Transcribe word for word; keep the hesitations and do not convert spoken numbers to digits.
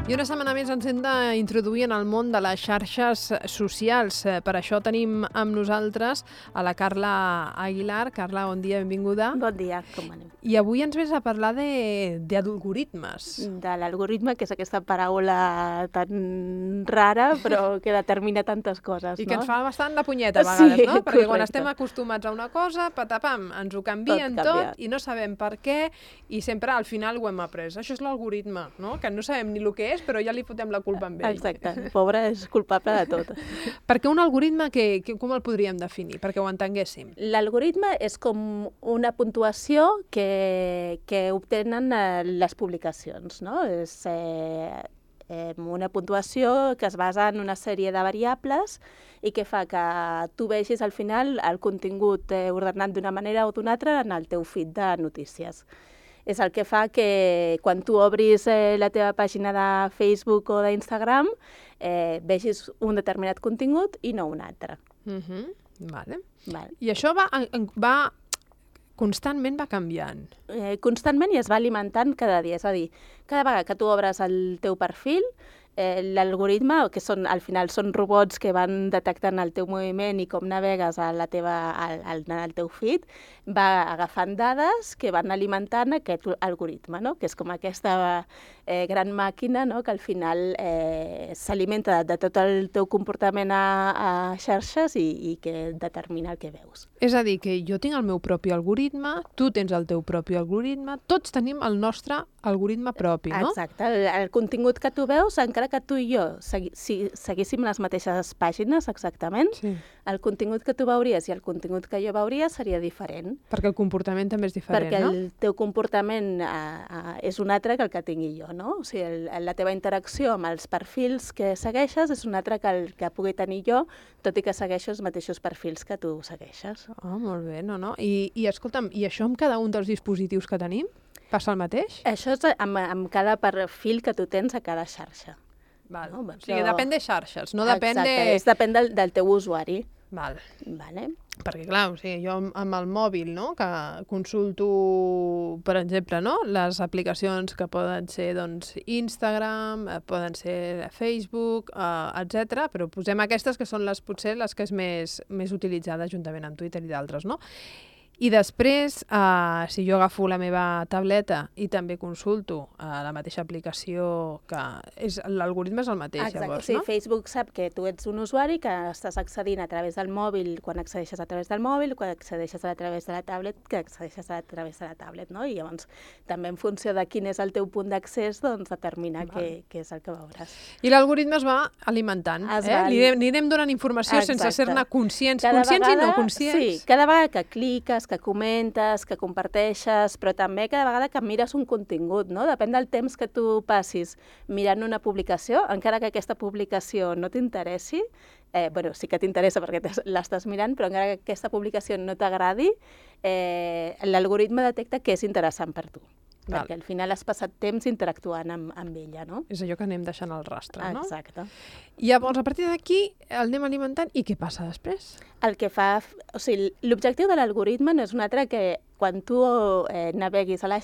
I una setmana més ens hem d'introduir en el món de les xarxes socials. Per això tenim amb nosaltres a la Carla Aguilar. Carla, bon dia, benvinguda. Bon dia, com anem? I avui ens vens a parlar d'algoritmes. De l'algoritme, que és aquesta paraula tan rara, però que determina tantes coses, I no? que ens fa bastant la punyeta a vegades, Sí, no? Perquè quan correcte. estem acostumats a una cosa, patapam, ens ho canvien Tot tot, canvia. i no sabem per què, i sempre al final ho hem après. Això és l'algoritme, no? Que no sabem ni el que és, però ja li fotem la culpa amb ell. Exacte, pobre és culpable de tot. Perquè un algoritme, que, que, com el podríem definir? Perquè ho entenguéssim. L'algoritme és com una puntuació que, que obtenen eh, les publicacions, no? És eh, eh, una puntuació que es basa en una sèrie de variables i que fa que tu vegis al final el contingut eh, ordenat d'una manera o d'una altra en el teu feed de notícies. És el que fa que quan tu obris eh, la teva pàgina de Facebook o d'Instagram eh, vegis un determinat contingut i no un altre. Uh-huh. Vale. Vale. I això va, va constantment va canviant. Eh, constantment i es va alimentant cada dia. És a dir, cada vegada que tu obres el teu perfil, eh, l'algoritme, que són, al final són robots que van detectant el teu moviment i com navegues a la teva, al, al, al teu feed, va agafant dades que van alimentant aquest algoritme, no? Que és com aquesta eh, gran màquina, no? Que al final eh, s'alimenta de, de tot el teu comportament a, a xarxes i, i que determina el que veus. És a dir, que jo tinc el meu propi algoritme, tu tens el teu propi algoritme, tots tenim el nostre algoritme propi, no? Exacte. El, el contingut que tu veus, encara que tu i jo segui, si, seguíssim les mateixes pàgines exactament, Sí. el contingut que tu veuries i el contingut que jo veuria seria diferent. Perquè el comportament també és diferent, perquè no? el teu comportament eh, eh, és un altre que el que tingui jo, no? O sigui, el, la teva interacció amb els perfils que segueixes és un altre que el que pugui tenir jo, tot i que segueixo els mateixos perfils que tu segueixes. Ah, molt bé, no, no. I, i escolta'm, i això amb cada un dels dispositius que tenim? Passa el mateix? Això és amb, amb cada perfil que tu tens a cada xarxa. Val. No, O sigui, però- depèn de xarxes, no depèn Exacte, de... és depèn del, del teu usuari. Val. Vale. Perquè, clar, o sigui, jo amb, amb el mòbil, no?, que consulto, per exemple, no?, les aplicacions que poden ser, doncs, Instagram, eh, poden ser Facebook, eh, etcètera, però posem aquestes que són les, potser, les que és més, més utilitzades juntament amb Twitter i d'altres, no? I després, eh, si jo agafo la meva tableta i també consulto eh, la mateixa aplicació, que és l'algoritme és el mateix, Exacte. llavors, Sí, no? Facebook sap que tu ets un usuari que estàs accedint a través del mòbil quan accedeixes a través del mòbil, quan accedeixes a través de la tablet, que accedeixes a través de la tablet, no? I llavors també en funció de quin és el teu punt d'accés, doncs determina què, què és el que veuràs. I l'algoritme es va alimentant, Es eh? va Li, li anem donant informació sense Exacte. ser-ne conscients, Cada conscients i no vegada- conscients. Sí, cada vegada que cliques, que comentes, que comparteixes, però també cada vegada que mires un contingut, no? Depèn del temps que tu passis mirant una publicació, encara que aquesta publicació no t'interessi, eh, bueno, sí que t'interessa perquè t'es- l'estàs mirant, però encara que aquesta publicació no t'agradi, eh, l'algoritme detecta que és interessant per tu. Val. Perquè al final has passat temps interactuant amb, amb ella, no? És allò que anem deixant al rastre, no? Exacte. I llavors, a partir d'aquí, el anem alimentant, i què passa després? El que fa... O sigui, l'objectiu de l'algoritme no és un altre que quan tu eh, naveguis a la